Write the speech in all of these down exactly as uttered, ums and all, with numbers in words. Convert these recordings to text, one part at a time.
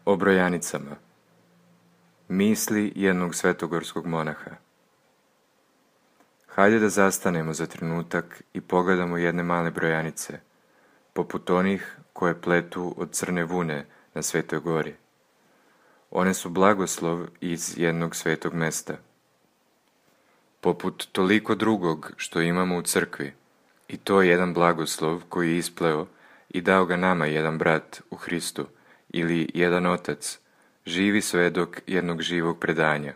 O brojanicama. Misli jednog svetogorskog monaha. Hajde da zastanemo za trenutak i pogledamo jedne male brojanice, poput onih koje pletu od crne vune na Svetoj gori. One su blagoslov iz jednog svetog mesta. Poput toliko drugog što imamo u crkvi, i to je jedan blagoslov koji je ispleo i dao ga nama jedan brat u Hristu ili jedan otac, živi svedok jednog živog predanja.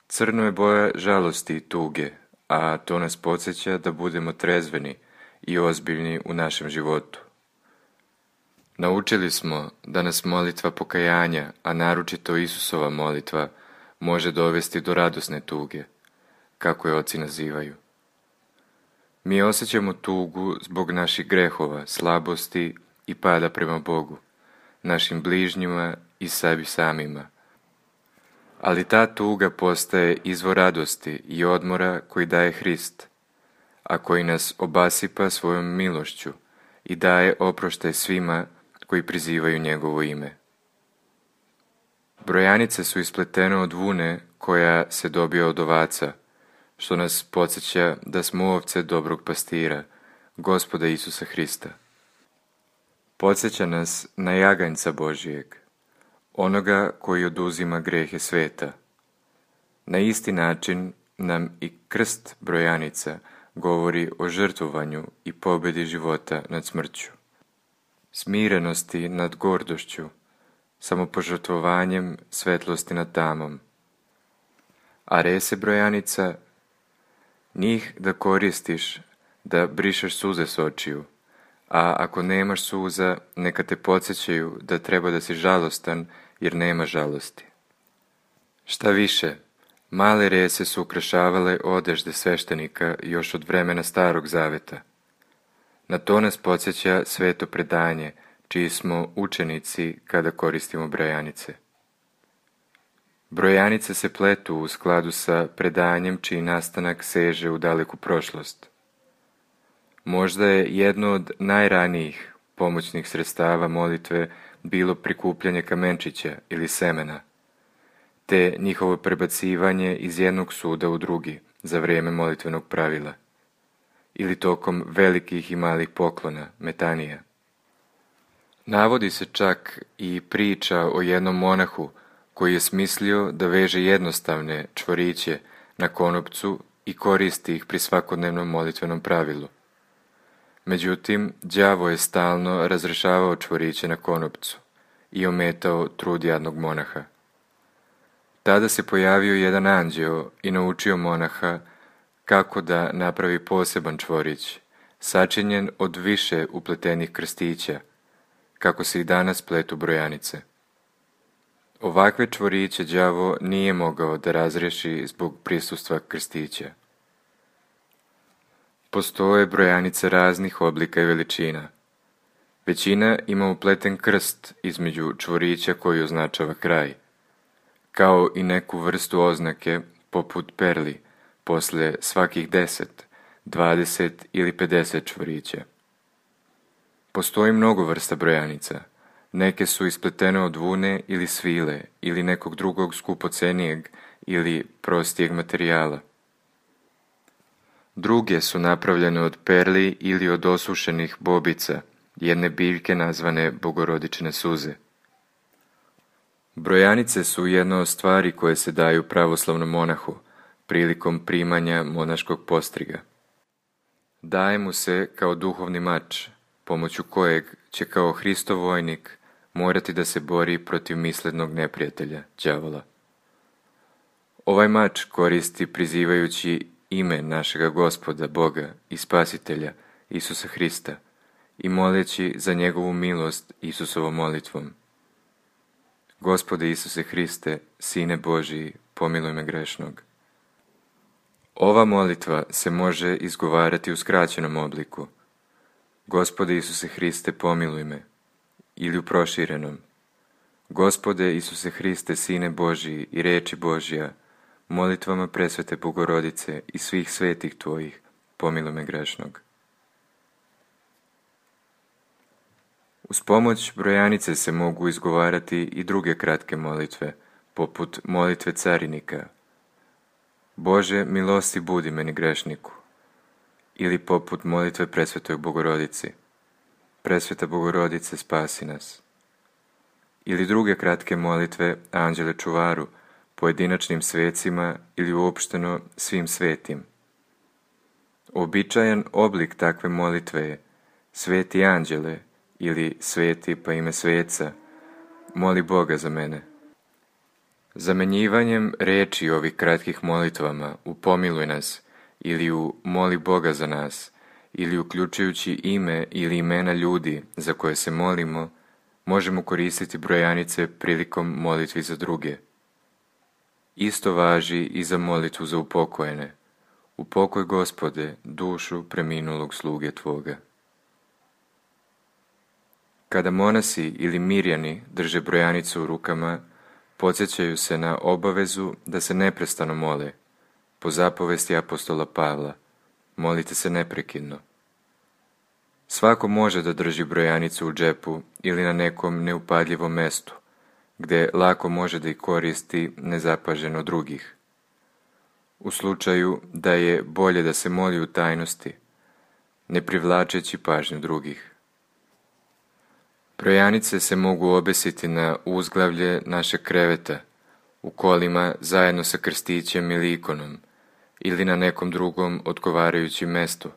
Crno je boja žalosti i tuge, a to nas podsjeća da budemo trezveni i ozbiljni u našem životu. Naučili smo da nas molitva pokajanja, a naročito Isusova molitva, može dovesti do radosne tuge, kako je oci nazivaju. Mi osjećamo tugu zbog naših grehova, slabosti i pada prema Bogu, našim bližnjima i sebi samima. Ali ta tuga postaje izvor radosti i odmora koji daje Hrist, a koji nas obasipa svojom milošću i daje oproštaj svima koji prizivaju njegovo ime. Brojanice su ispletene od vune koja se dobija od ovaca, što nas podsjeća da smo ovce dobrog pastira, Gospoda Isusa Hrista. Podsjeća nas na jaganjca Božijeg, onoga koji oduzima grehe sveta. Na isti način nam i krst brojanica govori o žrtvovanju i pobjedi života nad smrću, smirenosti nad gordošću, samopožrtvovanjem svetlosti nad tamom. A rese brojanica, njih da koristiš da brišeš suze s očiju, a ako nemaš suza, neka te podsjećaju da treba da si žalostan jer nema žalosti. Šta više, male rese su ukrašavale odežde sveštenika još od vremena Starog Zaveta. Na to nas podsjeća sveto predanje, čiji smo učenici kada koristimo brojanice. Brojanice se pletu u skladu sa predanjem čiji nastanak seže u daleku prošlost. Možda je jedno od najranijih pomoćnih sredstava molitve bilo prikupljanje kamenčića ili semena, te njihovo prebacivanje iz jednog suda u drugi za vrijeme molitvenog pravila, ili tokom velikih i malih poklona, metanija. Navodi se čak i priča o jednom monahu koji je smislio da veže jednostavne čvoriće na konopcu i koristi ih pri svakodnevnom molitvenom pravilu. Međutim, đavo je stalno razrešavao čvoriće na konopcu i ometao trud jadnog monaha. Tada se pojavio jedan anđeo i naučio monaha kako da napravi poseban čvorić, sačinjen od više upletenih krstića, kako se i danas pletu brojanice. Ovakve čvoriće đavo nije mogao da razriješi zbog prisustva krstića. Postoje brojanice raznih oblika i veličina. Većina ima upleten krst između čvorića koji označava kraj, kao i neku vrstu oznake poput perli posle svakih deset, dvadeset ili pedeset čvorića. Postoji mnogo vrsta brojanica. Neke su ispletene od vune ili svile ili nekog drugog skupocenijeg ili prostijeg materijala. Druge su napravljene od perli ili od osušenih bobica, jedne biljke nazvane bogorodične suze. Brojanice su jedna od stvari koje se daju pravoslavnom monahu prilikom primanja monaškog postriga. Daje mu se kao duhovni mač, pomoću kojeg će kao Hristov vojnik morati da se bori protiv mislednog neprijatelja, đavola. Ovaj mač koristi prizivajući ime našega Gospoda, Boga i Spasitelja, Isusa Hrista, i moleći za njegovu milost Isusovom molitvom. Gospode Isuse Hriste, Sine Božiji, pomiluj me grešnog. Ova molitva se može izgovarati u skraćenom obliku. Gospode Isuse Hriste, pomiluj me, ili u proširenom. Gospode Isuse Hriste, Sine Božiji i reči Božija, molitvama presvete Bogorodice i svih svetih tvojih, pomiluj me grešnog. Uz pomoć brojanice se mogu izgovarati i druge kratke molitve, poput molitve carinika. Bože, milosti budi meni grešniku. Ili poput molitve presvetoj Bogorodici. Presveta Bogorodice, spasi nas. Ili druge kratke molitve Anđele čuvaru, pojedinačnim svecima ili uopšteno svim svetim. Običajan oblik takve molitve je Sveti anđele ili sveti pa ime sveca, moli Boga za mene. Zamenjivanjem reči ovih kratkih molitvama u pomiluj nas ili u moli Boga za nas ili uključujući ime ili imena ljudi za koje se molimo, možemo koristiti brojanice prilikom molitvi za druge. Isto važi i za molitvu za upokojene. Upokoj, Gospode, dušu preminulog sluge Tvoga. Kada monasi ili mirjani drže brojanicu u rukama, podsjećaju se na obavezu da se neprestano mole. Po zapovesti apostola Pavla, molite se neprekidno. Svako može da drži brojanicu u džepu ili na nekom neupadljivom mestu, gdje lako može da ih koristi nezapaženo drugih. U slučaju da je bolje da se moli u tajnosti, ne privlačeći pažnju drugih. Brojanice se mogu obesiti na uzglavlje našeg kreveta, u kolima zajedno sa krstićem ili ikonom, ili na nekom drugom odgovarajućem mestu,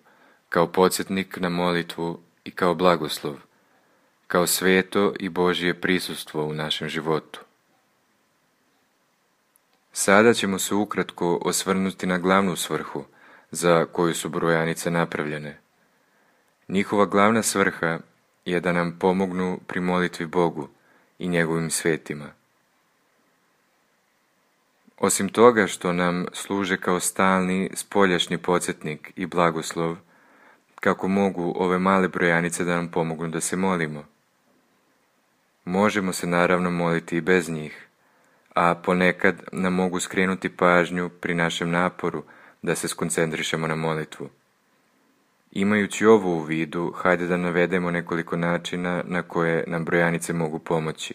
kao podsjetnik na molitvu i kao blagoslov, kao sveto i Božje prisustvo u našem životu. Sada ćemo se ukratko osvrnuti na glavnu svrhu za koju su brojanice napravljene. Njihova glavna svrha je da nam pomognu pri molitvi Bogu i njegovim svetima. Osim toga što nam služe kao stalni spoljašnji podsjetnik i blagoslov, kako mogu ove male brojanice da nam pomognu da se molimo. Možemo se naravno moliti i bez njih, a ponekad nam mogu skrenuti pažnju pri našem naporu da se skoncentrišemo na molitvu. Imajući ovo u vidu, hajde da navedemo nekoliko načina na koje nam brojanice mogu pomoći.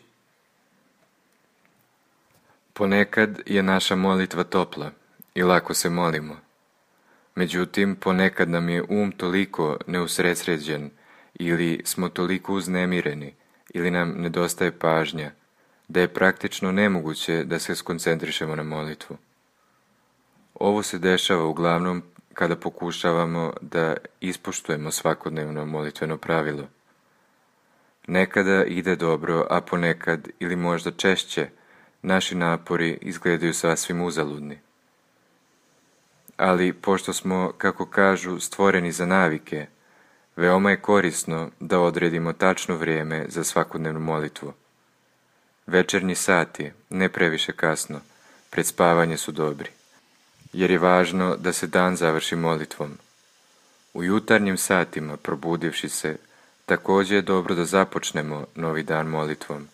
Ponekad je naša molitva topla i lako se molimo. Međutim, ponekad nam je um toliko neusredsređen ili smo toliko uznemireni ili nam nedostaje pažnja, da je praktično nemoguće da se skoncentrišemo na molitvu. Ovo se dešava uglavnom kada pokušavamo da ispoštujemo svakodnevno molitveno pravilo. Nekada ide dobro, a ponekad ili možda češće naši napori izgledaju sasvim uzaludni. Ali pošto smo, kako kažu, stvoreni za navike, veoma je korisno da odredimo tačno vrijeme za svakodnevnu molitvu. Večernji sati, ne previše kasno, pred spavanje su dobri, jer je važno da se dan završi molitvom. U jutarnjim satima, probudivši se, također je dobro da započnemo novi dan molitvom.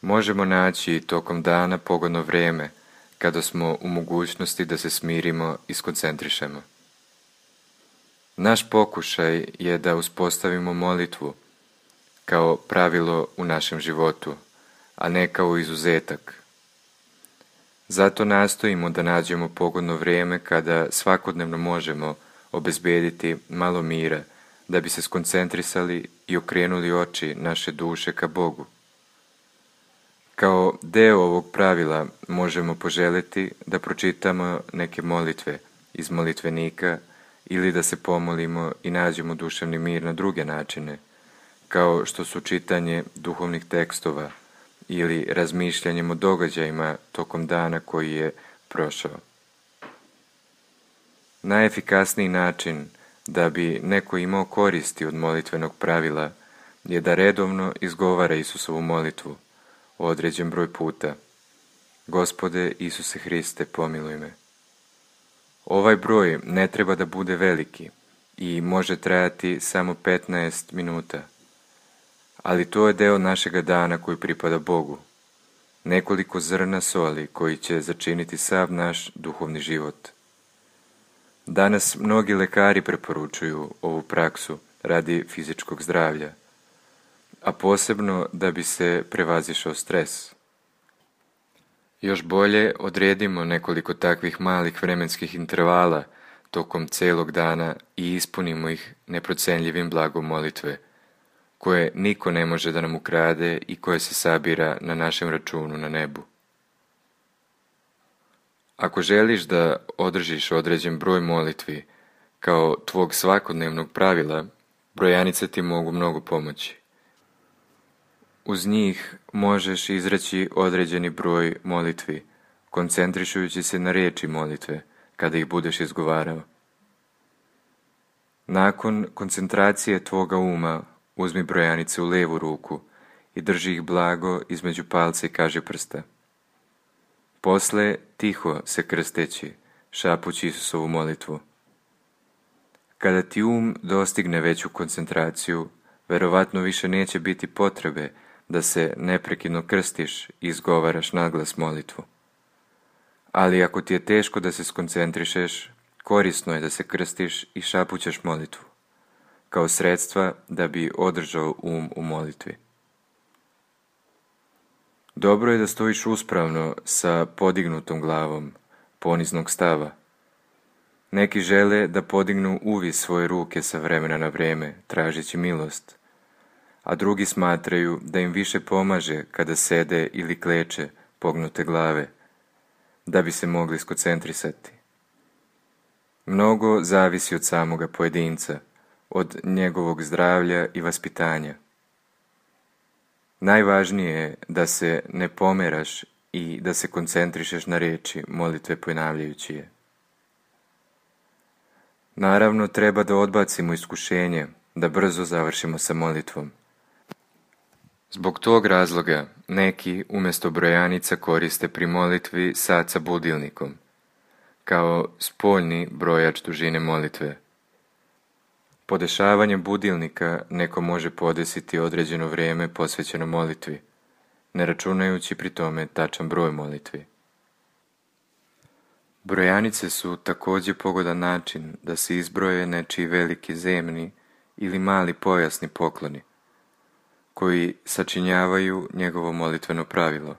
Možemo naći tokom dana pogodno vrijeme, kada smo u mogućnosti da se smirimo i skoncentrišemo. Naš pokušaj je da uspostavimo molitvu kao pravilo u našem životu, a ne kao izuzetak. Zato nastojimo da nađemo pogodno vrijeme kada svakodnevno možemo obezbediti malo mira, da bi se skoncentrisali i okrenuli oči naše duše ka Bogu. Kao deo ovog pravila možemo poželjeti da pročitamo neke molitve iz molitvenika ili da se pomolimo i nađemo duševni mir na druge načine, kao što su čitanje duhovnih tekstova ili razmišljanjem o događajima tokom dana koji je prošao. Najefikasniji način da bi neko imao koristi od molitvenog pravila je da redovno izgovara Isusovu molitvu određen broj puta. Gospode Isuse Hriste, pomiluj me. Ovaj broj ne treba da bude veliki i može trajati samo petnaest minuta, ali to je deo našega dana koji pripada Bogu, nekoliko zrna soli koji će začiniti sav naš duhovni život. Danas mnogi lekari preporučuju ovu praksu radi fizičkog zdravlja, a posebno da bi se prevazišao stres. Još bolje odredimo nekoliko takvih malih vremenskih intervala tokom celog dana i ispunimo ih neprocenljivim blagom molitve, koje niko ne može da nam ukrade i koje se sabira na našem računu na nebu. Ako želiš da održiš određen broj molitvi kao tvog svakodnevnog pravila, brojanice ti mogu mnogo pomoći. Uz njih možeš izreći određeni broj molitvi, koncentrišujući se na riječi molitve kada ih budeš izgovarao. Nakon koncentracije tvoga uma uzmi brojanice u levu ruku i drži ih blago između palca i kažiprsta. Posle tiho se krsteći, šapući Isusovu molitvu. Kada ti um dostigne veću koncentraciju, verovatno više neće biti potrebe da se neprekidno krstiš i izgovaraš naglas molitvu. Ali ako ti je teško da se skoncentrišeš, korisno je da se krstiš i šapućeš molitvu, kao sredstva da bi održao um u molitvi. Dobro je da stojiš uspravno sa podignutom glavom, poniznog stava. Neki žele da podignu uvis svoje ruke sa vremena na vrijeme, tražeći milost, a drugi smatraju da im više pomaže kada sede ili kleče pognute glave, da bi se mogli skoncentrisati. Mnogo zavisi od samoga pojedinca, od njegovog zdravlja i vaspitanja. Najvažnije je da se ne pomeraš i da se koncentrišeš na riječi molitve ponavljajući je. Naravno, treba da odbacimo iskušenje, da brzo završimo sa molitvom. Zbog tog razloga neki umjesto brojanica koriste pri molitvi sat sa budilnikom, kao spoljni brojač dužine molitve. Podešavanjem budilnika neko može podesiti određeno vrijeme posvećeno molitvi, ne računajući pri tome tačan broj molitvi. Brojanice su također pogodan način da se izbroje nečiji veliki zemni ili mali pojasni pokloni, koji sačinjavaju njegovo molitveno pravilo.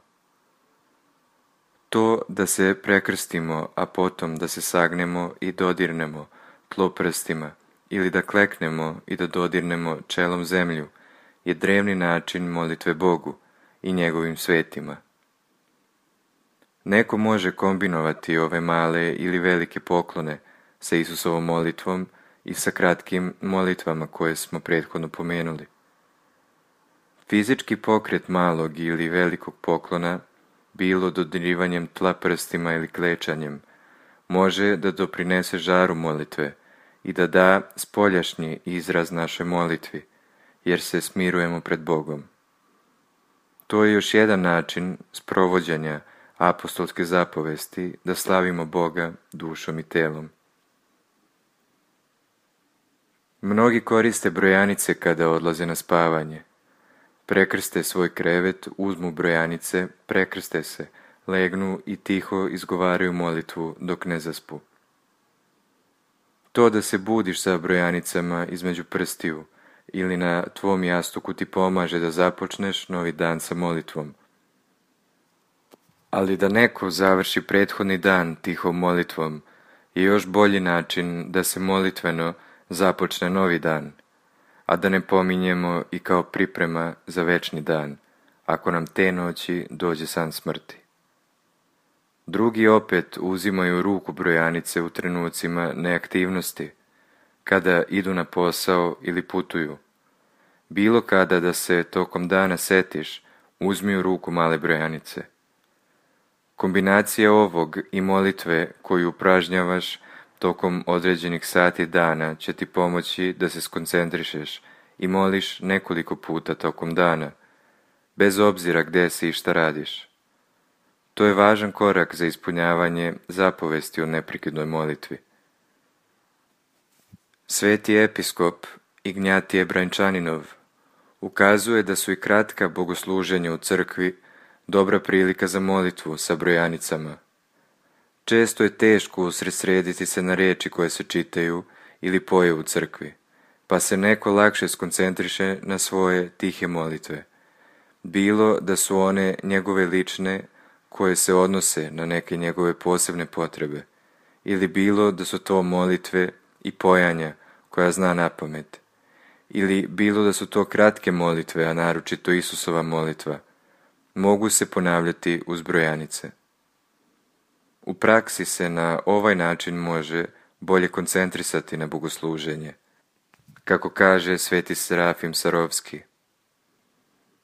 To da se prekrstimo, a potom da se sagnemo i dodirnemo tlo prstima, ili da kleknemo i da dodirnemo čelom zemlju, je drevni način molitve Bogu i njegovim svetima. Neko može kombinovati ove male ili velike poklone sa Isusovom molitvom i sa kratkim molitvama koje smo prethodno pomenuli. Fizički pokret malog ili velikog poklona, bilo dodirivanjem tla prstima ili klečanjem, može da doprinese žaru molitve i da da spoljašnji izraz našoj molitvi, jer se smirujemo pred Bogom. To je još jedan način sprovođenja apostolske zapovesti da slavimo Boga dušom i telom. Mnogi koriste brojanice kada odlaze na spavanje. Prekrste svoj krevet, uzmu brojanice, prekrste se, legnu i tiho izgovaraju molitvu dok ne zaspu. To da se budiš sa brojanicama između prstiju ili na tvom jastuku ti pomaže da započneš novi dan sa molitvom. Ali da neko završi prethodni dan tihom molitvom je još bolji način da se molitveno započne novi dan, a da ne pominjemo i kao priprema za večni dan, ako nam te noći dođe san smrti. Drugi opet uzimaju ruku brojanice u trenucima neaktivnosti, kada idu na posao ili putuju. Bilo kada da se tokom dana setiš, uzmi u ruku male brojanice. Kombinacija ovog i molitve koju upražnjavaš tokom određenih sati dana će ti pomoći da se skoncentrišeš i moliš nekoliko puta tokom dana, bez obzira gdje si i šta radiš. To je važan korak za ispunjavanje zapovesti o neprekidnoj molitvi. Sveti episkop Ignjatije Brančaninov ukazuje da su i kratka bogosluženja u crkvi dobra prilika za molitvu sa brojanicama. Često je teško usredsrediti se na riječi koje se čitaju ili poje u crkvi, pa se neko lakše skoncentriše na svoje tihe molitve, bilo da su one njegove lične koje se odnose na neke njegove posebne potrebe, ili bilo da su to molitve i pojanja koja zna napamet, ili bilo da su to kratke molitve, a naročito Isusova molitva, mogu se ponavljati uz brojanice. U praksi se na ovaj način može bolje koncentrisati na bogosluženje, kako kaže sveti Serafim Sarovski.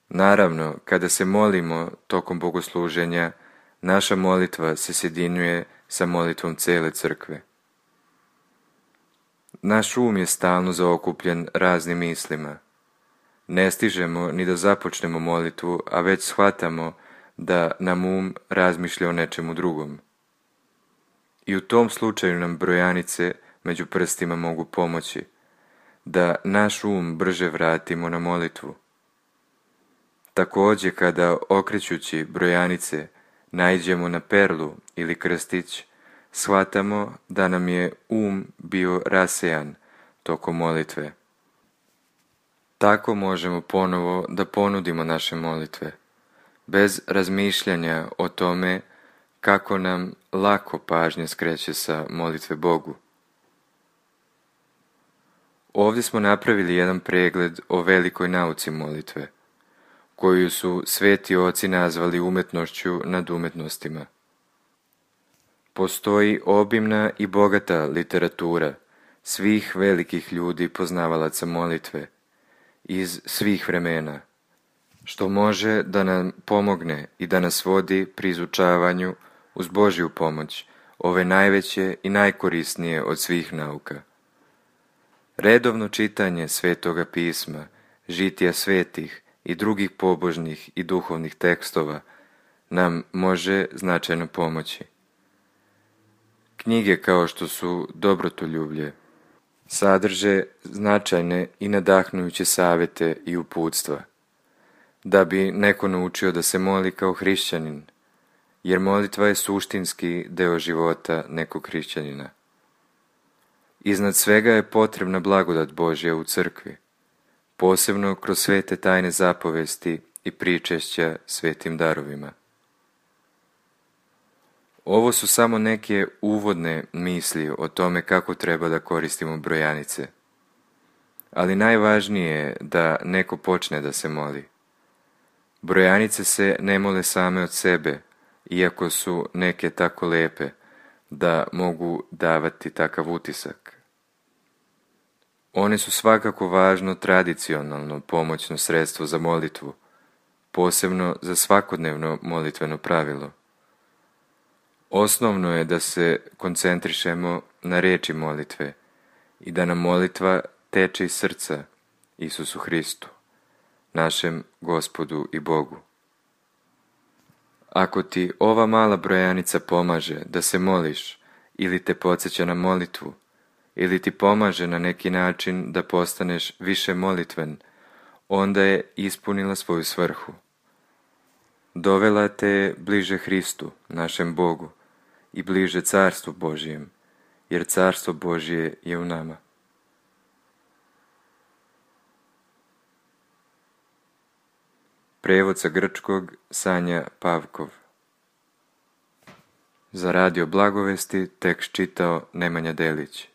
Naravno, kada se molimo tokom bogosluženja, naša molitva se sjedinjuje sa molitvom cele crkve. Naš um je stalno zaokupljen raznim mislima. Ne stižemo ni da započnemo molitvu, a već shvatamo da nam um razmišlja o nečemu drugom. I u tom slučaju nam brojanice među prstima mogu pomoći, da naš um brže vratimo na molitvu. Također kada okrećući brojanice naiđemo na perlu ili krstić, shvatamo da nam je um bio rasejan tokom molitve. Tako možemo ponovo da ponudimo naše molitve, bez razmišljanja o tome kako nam lako pažnja skreće sa molitve Bogu. Ovdje smo napravili jedan pregled o velikoj nauci molitve, koju su sveti oci nazvali umetnošću nad umetnostima. Postoji obimna i bogata literatura svih velikih ljudi poznavalaca molitve iz svih vremena, što može da nam pomogne i da nas vodi pri izučavanju uz Božju pomoć ove najveće i najkorisnije od svih nauka. Redovno čitanje Svetoga pisma, žitija svetih i drugih pobožnih i duhovnih tekstova nam može značajno pomoći. Knjige kao što su Dobrotoljublje sadrže značajne i nadahnujuće savjete i uputstva, da bi neko naučio da se moli kao hrišćanin, jer molitva je suštinski deo života nekog hrišćanina. Iznad svega je potrebna blagodat Božja u crkvi, posebno kroz svete tajne zapovesti i pričešća svetim darovima. Ovo su samo neke uvodne misli o tome kako treba da koristimo brojanice. Ali najvažnije je da neko počne da se moli. Brojanice se ne mole same od sebe, iako su neke tako lepe da mogu davati takav utisak. One su svakako važno tradicionalno pomoćno sredstvo za molitvu, posebno za svakodnevno molitveno pravilo. Osnovno je da se koncentrišemo na riječi molitve i da nam molitva teče iz srca Isusu Hristu, našem Gospodu i Bogu. Ako ti ova mala brojanica pomaže da se moliš ili te podsjeća na molitvu, ili ti pomaže na neki način da postaneš više molitven, onda je ispunila svoju svrhu. Dovela te je bliže Hristu, našem Bogu, i bliže Carstvu Božijem, jer Carstvo Božje je u nama. Prevod sa grčkog Sanja Pavkov. Za radio Blagovesti tekst čitao Nemanja Delić.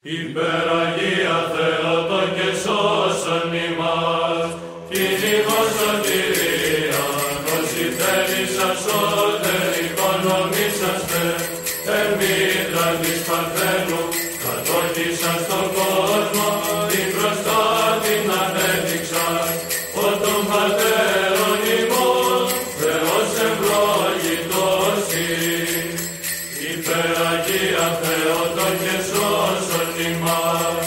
Υπεραγία Θεότο και σώσον ημάς, κυνηγός σωτηρία, όσοι θέλησαν σώτεροι οικονομήσαστε, εμμύτρα της Παρθένου, κατόχησαν στον κόσμο, την μπροστά την ανέδειξαν, ο των πατέρων ημών, Θεός ευλογητός ειν. Υπεραγία Θεότο και σώσον ημάς,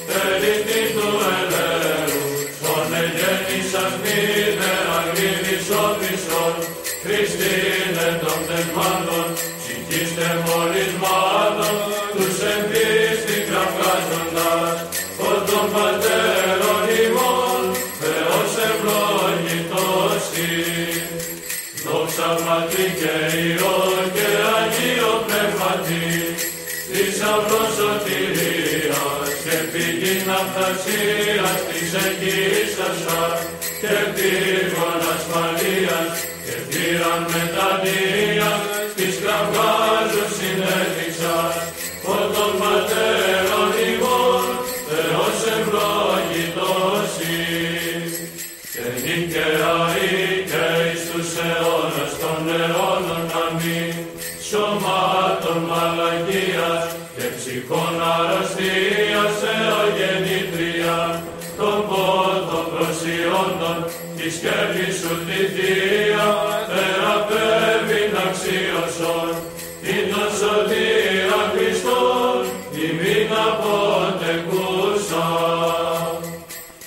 τελητή του ελέου, τον εγέννησας μήδερα γρήγης όπισθον, Χριστίνε των πνευμάτων, ψυχήστε μολυσμάτων, τους εν πίστη κραυγάζοντας, ο των πατέρων ημών, Θεός ευλογητός ειν. Δόξα Πατρί και Υιό και Αγίο Πνεύματι, θησαυρός σωτηρίας και πηγή ναυτασίας της εγγύησας σας και πύργων ασφαλείας και θύραν μετανοίας της κραυγάζους συνέδειξας, ο των πατέρων ημών, Θεός ευλογητός ειν. Και νικαία ή και εις τους αιώνας των αιώνων αμήν, σωμάτων μαλακίας και ψυχών αρρωστίας εωγεννήτρια, των πόθων προσιόντων, τη σκέπη σου τη θεία, θεραπεύειν αξίωσον, την των σωτήρα Χριστόν, ημίν αποτεκούσα.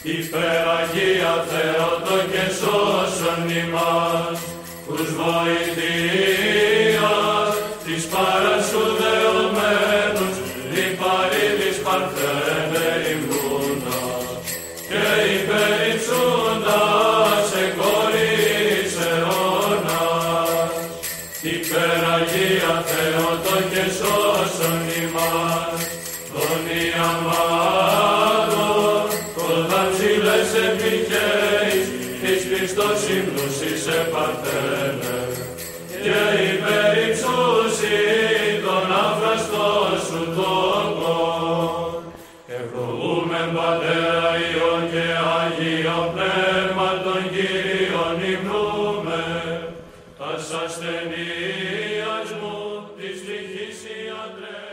Υπεραγία Θεότο και σώσον ημάς, ους βοηθείας της παρασού δεωμένους, λιπαρίδης Παρθένε υμνούντας, και υπερυψούντας εκόρης αιώνας. Υπεραγία Θεότο και σώσον ημάς, τον Ιαμάτων, όταν ψηλές επιχέεις, της σου τόκον. Ευλογούμεν Πατέρα Υιόν και Άγιο Πνεύμα των Κύριων υμνούμε, τας ασθενείας μου της τυχής ιατρέ.